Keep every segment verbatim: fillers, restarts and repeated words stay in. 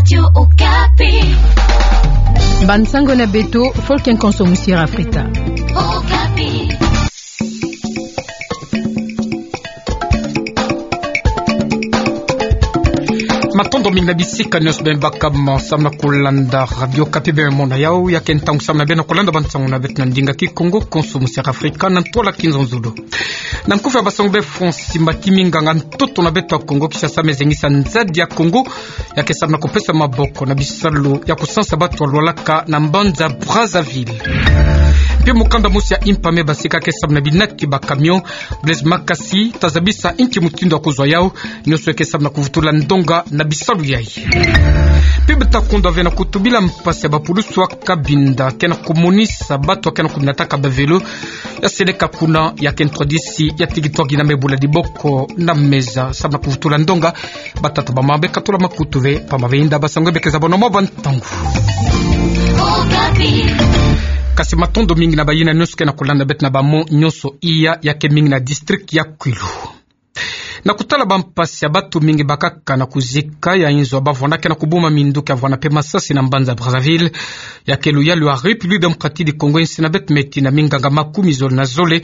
Radio Okapi. Bansango na beto, Folk and Konso Musiera Afrika. Okapi. Matondo mingi na bisika nyonso beno baka mo samu na kulanda Radio Okapi, beno mona yau, ya ke ntangu samu na beno kulanda bansango na beto na ndinga Kikongo, Konso Musiera Afrika, na ntwala Kinzonzolo. Na nkufi ya basango beno fweti simba ti minganga ntoto na beto ya Kongo Kinshasa me zengisa nzadi ya Kongo, ya ke samu na kupesa maboko na bisalu ya kusansa bato ya lwalaka na mbanza Brazzaville. Mpe mukanda mosi ya impa me basika ke samu na binati ba camion, Blaise Makasi, ta zabisa inki mutindu ya kuzwa yau, nyonso ya ke samu na kuvutula ndonga na bisalu yai. Mpe beta kundwa ve na kutubila mpasi ya bapulusu ya Cabinda ke na kumonisa bato ya ke na kunataka ba vélo, ya seleka kuna ya ke ntwadisi ya tiki twagi na me bula diboko na meza samu na kuvutula ndonga. Batata bamama, beno katula makutu ve, pamba ve inda basango beno ke zabona mo bantangu. Kasi matondo mingi na bayina nyonso ke na kulanda beto na bamon nyonso iya, ya ke mingi na district ya Kwilu. Na kutala bampasi ya bato mingi bakaka na kuzika ya inzo ya bavwanda ke na kubuma minduki ya vwanda mpe masasi na mbanza Brazzaville, ya ke luyalu ya République Démocratique du Congo, insi na beto me tina minganga makumi zole na zole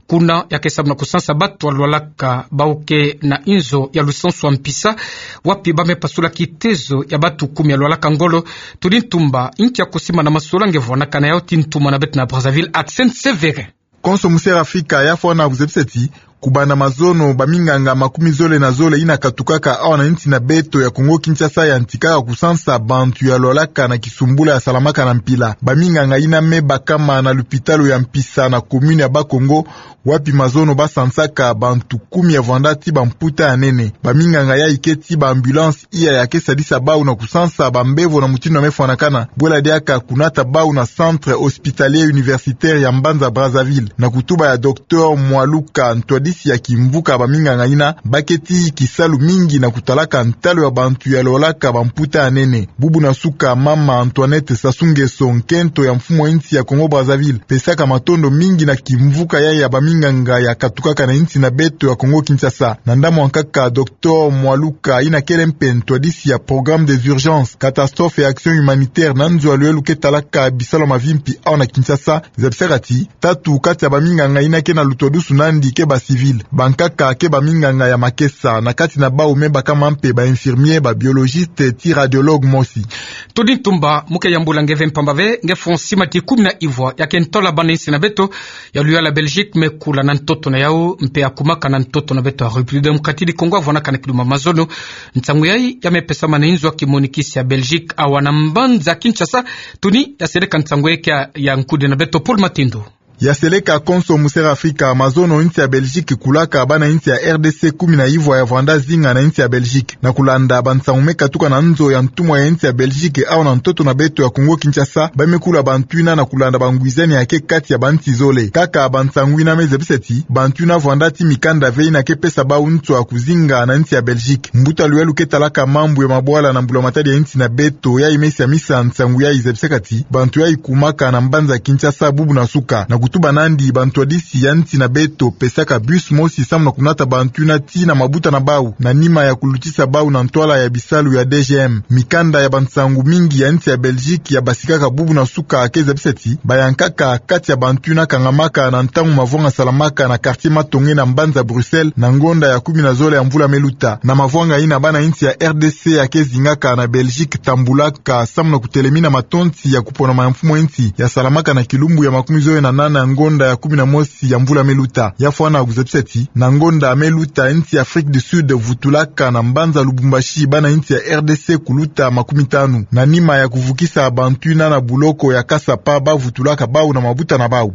kuna, ya ke samu na kusansa bato ya lwalaka bau ke na inzo ya lusansu ya mpisa, wapi ba me pasula kitezo ya bato kumi ya lwalaka ngolo. Tudi ntumba inki ya kusimbana masolanga vwandaka na yau, ti ntumwa na beto na Brazzaville, Axel Sévérin. Konso Musiera Afrika ya fwana kuzebisa ti, kubanda mazono, baminganga makumi zole na zole yina katukaka awa na insi na beto ya Kongo Kinshasa yantikaka kusansa bantu ya lwalaka na kisumbula ya salamaka na mpila. Baminganga yina me bakama na lupitalu ya mpisa na commune ya Bas-Congo, wapi mazono ba sansaka bantu kumi ya vwanda ti bamputa ya nene. Baminganga yai ke ti ba ambulance iya ya ke sadisa bau na kusansa bambevo na mutindu ya me fwanakana, bwela diaka kunata bau na centre hospitalier universitaire ya mbanza Brazzaville. Na kutuba ya docteur Mwaluka, ntwadisi ya kimvuka baminganga yina, ba ke ti kisalu mingi na kutalaka ntalu ya bantu ya lwalaka bamputa ya nene. Bubu na suka, mama Antoinette Sassou Nguesso, nkento ya mfumu ya insi ya Congo Brazzaville, pesaka matondo mingi na kimvuka yai ya baminganga ya katukaka na insi na beto ya Congo Kinshasa. Na ndambu ya nkaka, docteur Mwaluka, yina kele mpe ntwadisi ya programme des urgences, catastrophes et actions humanitaires na nzo ya luyalu ke talaka bisalu ya mavimpi awa na Kinshasa, zabisaka ti, tatu kati ya baminganga yina ke na lutwadusu nandi ke ba civils. Bankaka ke baminganga ya makesa, na kati na bau me bakama mpe ba infirmiers, ba biologistes, ti radiologues mosi. Tudi ntumba, mu ke yambula nge ve mpamba ve, nge fwa sima ti kumi na ivwa ya ke ntola bana insi na beto ya luyalu ya Belgique me kula na ntoto na yau, mpe ya kumaka na ntoto na beto ya République Démocratique du Congo, ya vwanaka na kiduma mazono. Nsangu yai ya me pesama na inzo ya kimonikisi ya Belgique awa na mbanza Kinshasa. Tuni ya seleka nsangu yai kia ya nkudi na beto Paul Matindo. Ya seleka Konso Musiera Afrika, mazono insi ya Belgique kulaka bana insi ya R D C kumi na ivwa ya vwanda zinga na insi ya Belgique. Na kulanda bansangu me katuka na nzo ya ntumwa ya insi ya Belgique awa na ntoto na beto ya Congo Kinshasa, ba me kula bantu yina na kulanda bangwizani ya ke kati ya bansi zole. Kaka bansangu yina me zabisa ti, bantu yina vwanda ti mikanda ve yina ke pesa bau nswa ya kuzinga na insi ya Belgique. Mbuta luyalu ke talaka mambu ya mabwala na mbulamatadi ya insi na beto, yai me siamisa nsangu yai, zabisaka ti, bantu yai kumaka na mbanza Kinshasa bubu na suka. Na kutuba nandi, bantwadisi ya insi na beto pesaka bus mosi samu na kunata bantu yina tii na mabuta na bau, na nima ya kulutisa bau na ntwala ya bisalu ya D G M. Mikanda ya bansangu mingi ya insi ya Belgique ya basikaka bubu na suka ke zabisa ti, bayankaka kati ya bantu yina kangamaka na ntangu mavwanga salamaka na quartier Matonge na mbanza Bruxelles, na ngonda ya kumi na zole ya mvula me luta. Na mavwanga yina, bana insi ya R D C ya ke zingaka na Belgique tambulaka samu na kutelemina matonsi ya kuponama ya mfumu ya insi ya salamaka na kilumbu ya makumi zole na nana ya ngonda ya kumi na mosi ya mvula me luta. Ya fwana kuzabisa ti, na ngonda me luta, insi ya Afrique du Sud vutulaka na mbanza Lubumbashi bana insi ya R D C kuluta makumi tanu, na nima ya kuvukisa bantu yina na buloko ya Kasapa, ba vutulaka bau na mabuta na bau.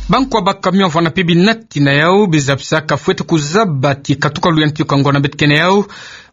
Bankwa ba camion vana mpe binati na yau, bizabisaka fwete kuzaba ti katuka luyantiku ya ngonda beto ke na yau,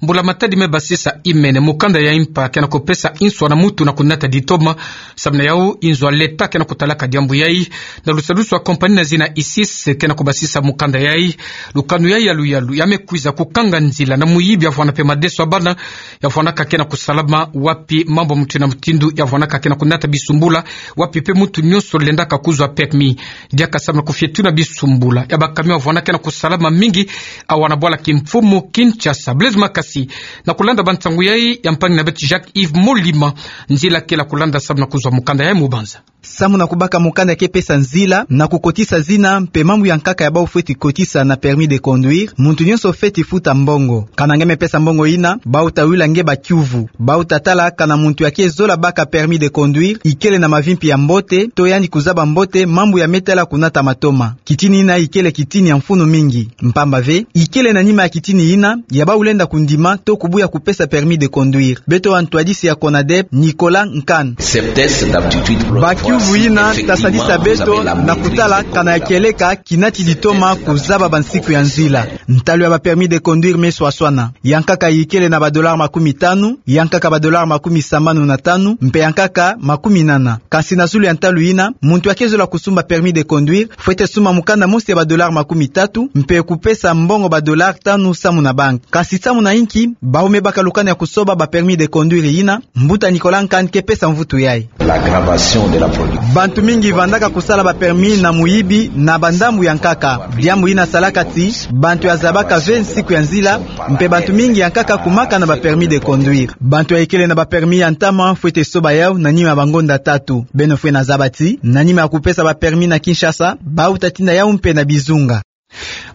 mbulamatadi me basisa imene mukanda ya impa ke na kupesa nswa na mutu na kunata ditoma. Samu na yau, inzo ya leta ke na kutalaka diambu yai, na lusadusu ya compagnie na zina Isis ke na kubasisa mukanda yai. Lukanu yai ya luyalu ya me kwiza kukanga nzila na muyibi ya vana mpe madeso ya bana, ya vanaka ke na kusalama, wapi mambu ya mutindu na mutindu ya vanaka ke na kunata bisumbula, wapi mpe mutu nyonso lendaka kuzwa permis. Yaka samu na kufioti na bisumbula ya ba camion avwandaka na kusalama mingi awa na bwala kimfumu Kinshasa. Blaise Makasi, na kulanda bansangu yai, ya mpangi na beto Jacques Yves Molima, nzila kela kulanda samu na kuzwa mukanda yai mubanza. Samu na kubaka mukanda ke pesa nzila na kukotisa zina mpe mambu ya nkaka ya bau fweti kotisa na permis de conduire, muntu nyonso fweti futa mbongo. Kana nge me pesa mbongo ina, bau ta wila nge ba kiuvu. Bau ta tala kana muntu ya ke zola baka permis de conduire ikele na mavimpi ya mbote, to yandi kuzaba mbote mambu ya me tala kunata matoma. Kitini ina ikele kitini ya mfunu mingi. Mpamba ve, ikele na nima ya kitini ina, ya bau lenda kundima to kubuya kupesa permis de conduire. Beto wa ntwadisi ya CONADEP, Nicolas Nkan. Ba kiuvu ina ta sadisa beto na kutala kana ya kieleka kinati ditoma kuzaba bansiku ya nzila. Ntalu ya ba permis de conduire me swaswana. Ya nkaka ikele na ba dollars makumi tanu, ya nkaka ba dollars makumi sambanu na tanu, mpe ya nkaka makumi nana. Kansi na zulu ya ntalu ina, muntu ya ke zola kusumba permis de conduire fwete sumba mukanda mosi ya ba dollars makumi tatu, mpe kupesa mbongo ba dollars tanu samu na banki. Kansi samu na inki bau me baka lukanu ya kusoba ba permis de conduire ina? Mbuta Nicolas Nkan ke pesa mvutu yai. Bantu mingi vandaka kusala ba permis na muyibi na bandambu ya nkaka. Diambu ina salaka ti bantu ya zabaka ve nsiku ya nzila, mpe bantu mingi ya nkaka kumaka na ba permis de conduire. Bantu ya ikele na ba permis ya ntama fwete soba yau na nima ya bangonda tatu. Beno fwena zaba ti na nima ya kupesa ba permis na Kinshasa, bau ta tinda yau mpe na bizunga.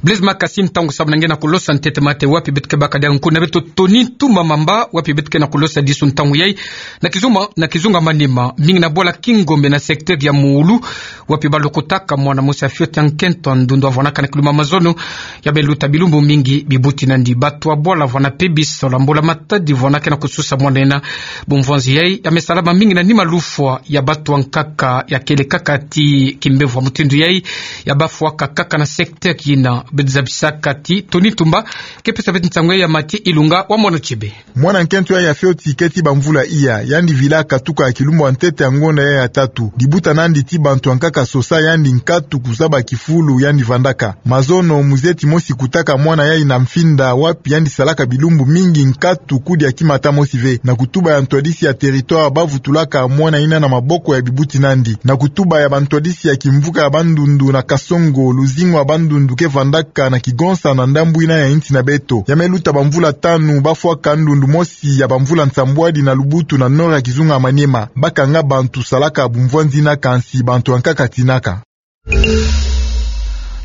Blaise Makasi, ntangu samu na nge na kulosa ntete mate wapi beto ke baka diaka nkutu na beto Tony Tumba Mamba, wapi beto ke na kulosa disu ntangu yai na kizunga, na kizunga Maniema, mingi na bwala Kingombe na secteur ya Mulu, wapi balokotaka mwana mosi ya fioti ya nkento ya ndundu avwanaka na kiluma mazono. Ya me luta bilumbu mingi bibuti nandi. Bantu ya bwala vwana pe bisola mbula matadi vwana ke na kususa mwana ina. Bumvwanzi yai ya me salama mingi na nima lufwa ya bantu ya nkaka ya kele kaka ti kimbevo ya mutindu yai ya bafwaka kaka na secteur ina. Beto zabisaka ti Tony Tumba ke pesa beto nsangu yai ya Mathieu Ilunga wa Mono Tshebe. Mwana nkento yai ya fioti keti bamvula iya, yandi vila katuka ya kilumbu ya ntete ya ngonda yai ya tatu. Dibuta nandi ti bantu ya nkaka sosa yandi nkatu kuzaba kifulu yandi vandaka. Mazono muzeti mosi kutaka mwana yai na mfinda wapi yandi salaka bilumbu mingi nkatu kudi ya kimata mosi ve. Na kutuba ya ntwadisi ya territoire, bavutulaka mwana ina na maboko ya bibuti nandi. Na kutuba ya bantwadisi ya kimvuka ya Bandundu na Kasongo, luzingu ya Bandundu ke vandaka na kigonsa na ndambu ina ya insi na beto. Ya me luta bamvula tanu, bafwaka ndundu mosi ya bamvula nsambwadi na lubutu na nord ya kizunga Maniema. Bakanga bantu salaka bumvwanzi ina, kansi bantu ya nkaka tinaka.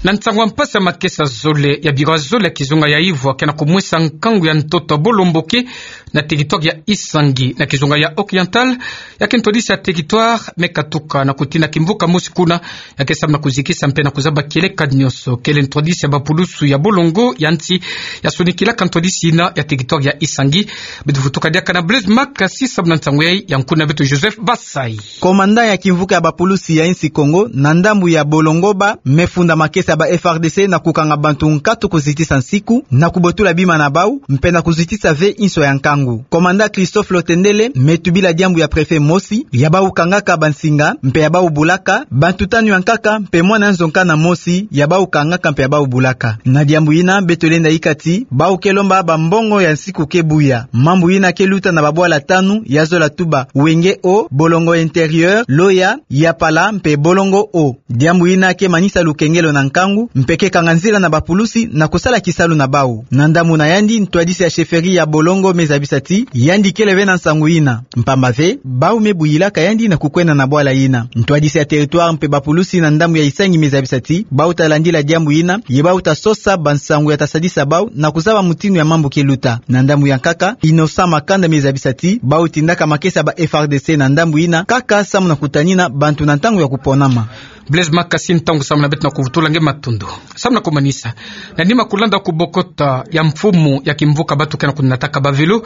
Na nsangu ya mpasi ya makesa zole ya biro ya zole ya kizunga ya Ivwa ke na kumwesa nkangu ya ntoto ya bolomboke na territoire ya Isangi na kizunga ya Oriental, ya ke ntwadisi ya territoire me katuka na kutina kimvuka mosi kuna, ya ke samu na kuzikisa mpe na kuzaba kieleka nyonso. Kele ntwadisi ya bapulusu ya bolongo ya nsi ya sonikilaka ntwadisi ina ya territoire ya Isangi. Beto vutuka diaka na Blaise Makasi samu na nsangu yai, ya nkutu na beto Joseph Basai. Komanda ya kimvuka ya bapulusi ya insi Kongo na ndambu ya Bolongoba me funda makesa ya ba F R D C na kukanga bantu nkatu kuzitisa nsiku na kubotula bima na bau mpe na kuzitisa ve inso ya nkangu. Komanda Christophe Lotendele me tubila diambu ya préfet mosi ya bau kangaka bansinga mpe ya bau bulaka, bantu tanu ya nkaka mpe mwana nzonkana mosi ya bau kangaka mpe ya bau bulaka. Na diambu ina beto lenda yika ti bau ke lomba bambongo ya nsiku ke buya. Mambu ina ke luta na babwala tanu, ya zola tuba Wenge Haut, Bolongo Intérieur, Loya, Yapala mpe Bolongo Haut. Diambu ina ke manisa lukengelo na nkangu mpe ke kanga nzila na bapulusi na kusala kisalu na bau. Na ndambu na yandi, ntwadisi ya chefferie ya Bolongo me zabisa ti yandi kele ve na nsangu ina, mpamba ve bau me buyilaka yandi na kukwenda na bwala ina. Ntwadisi ya territoire mpe bapulusi na ndambu ya Isangi me zabisa ti bau ta landila diambu ina, ye bau ta sosa bansangu ya ta sadisa bau na kuzaba mutindu ya mambu ke luta. Na ndambu ya nkaka, Innocent Makanda me zabisa ti bau tindaka makesa ya ba F R D C na ndambu ina kaka samu na kutanina bantu na ntangu ya kuponama. Blaise Makasi, ntangu samu na beto na kuvutula nge matondo. Samu na kumanisa, na nima kulanda kubokota ya mfumu ya kimvuka bantu ke na kunataka ba vélo,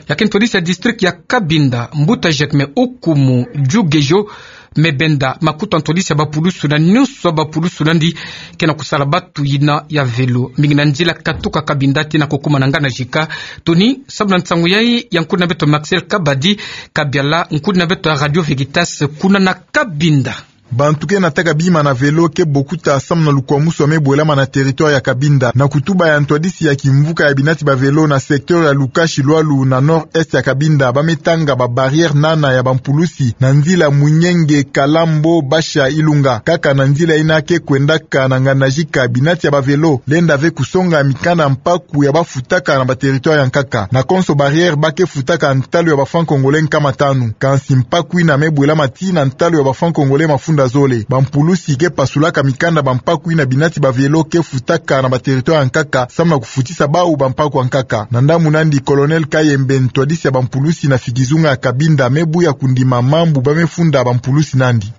ya ke ntwadisi ya district ya Cabinda, mbuta Jacques Meukumu Jugejo, me benda makutu ya ntwadisi ya bapulusu na nyonso ya bapulusu nandi ke na kusala bantu ina ya vélo mingi na nzila katuka Cabinda tii na kukuma na Nganda Jika. Tony, samu na nsangu yai, ya nkutu na beto Maxel Kabadi, Kabiala, nkutu na beto ya Radio Veritas kuna na Cabinda. Bantu ke nataka bima na vélo ke bokuta samu na lukwamusu ya me bwelama na territoire ya Cabinda. Na kutuba ya ntwadisi ya kimvuka ya binati ba vélo na secteur ya Lucashi Lualu na nord-est ya Cabinda, ba me tanga ba barrière nana ya bampulusi na nzila Munyenge, Kalambo, Basha, Ilunga. Kaka na nzila yina ke kwendaka na Ngandajika, binati ya ba vélo lenda ve kusonga mikanda mpaku ya ba futaka na ba territoire ya nkaka. Na konso barrière ba ke futaka ntalu ya ba francs congolais nkama tanu. Kansi mpaku yina me bwelama tii na ntalu ya ba francs congolais mafunda zole. Bampulusi ke pasulaka mikanda ba mpaku yina binati ba vélo ke futaka na ba territoire ya nkaka, samu na kufutisa bawu ba mpaku ya nkaka. Na ndambu nandi, Colonel Kayembe, ntwadisi ya bampulusi na fikizunga ya Cabinda, me buya kundima mambu ba me funda bampulusi nandi.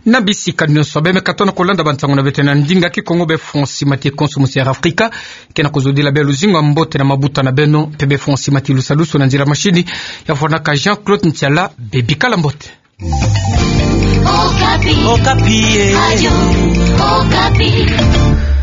Na bisika nyonso be me katono kolanda bansangu na beto na ndinga Kikongo, be Francis Mati konso musi Air Africa ke na kozodila beno luzingu ya mbote na mabuta na beno, mpe be Francis Mati lusalusu na nzila machine ya fwanaka Jean-Claude Ntiala. Be bikala mbote. Okapi. Okapi, eh. Radio Okapi.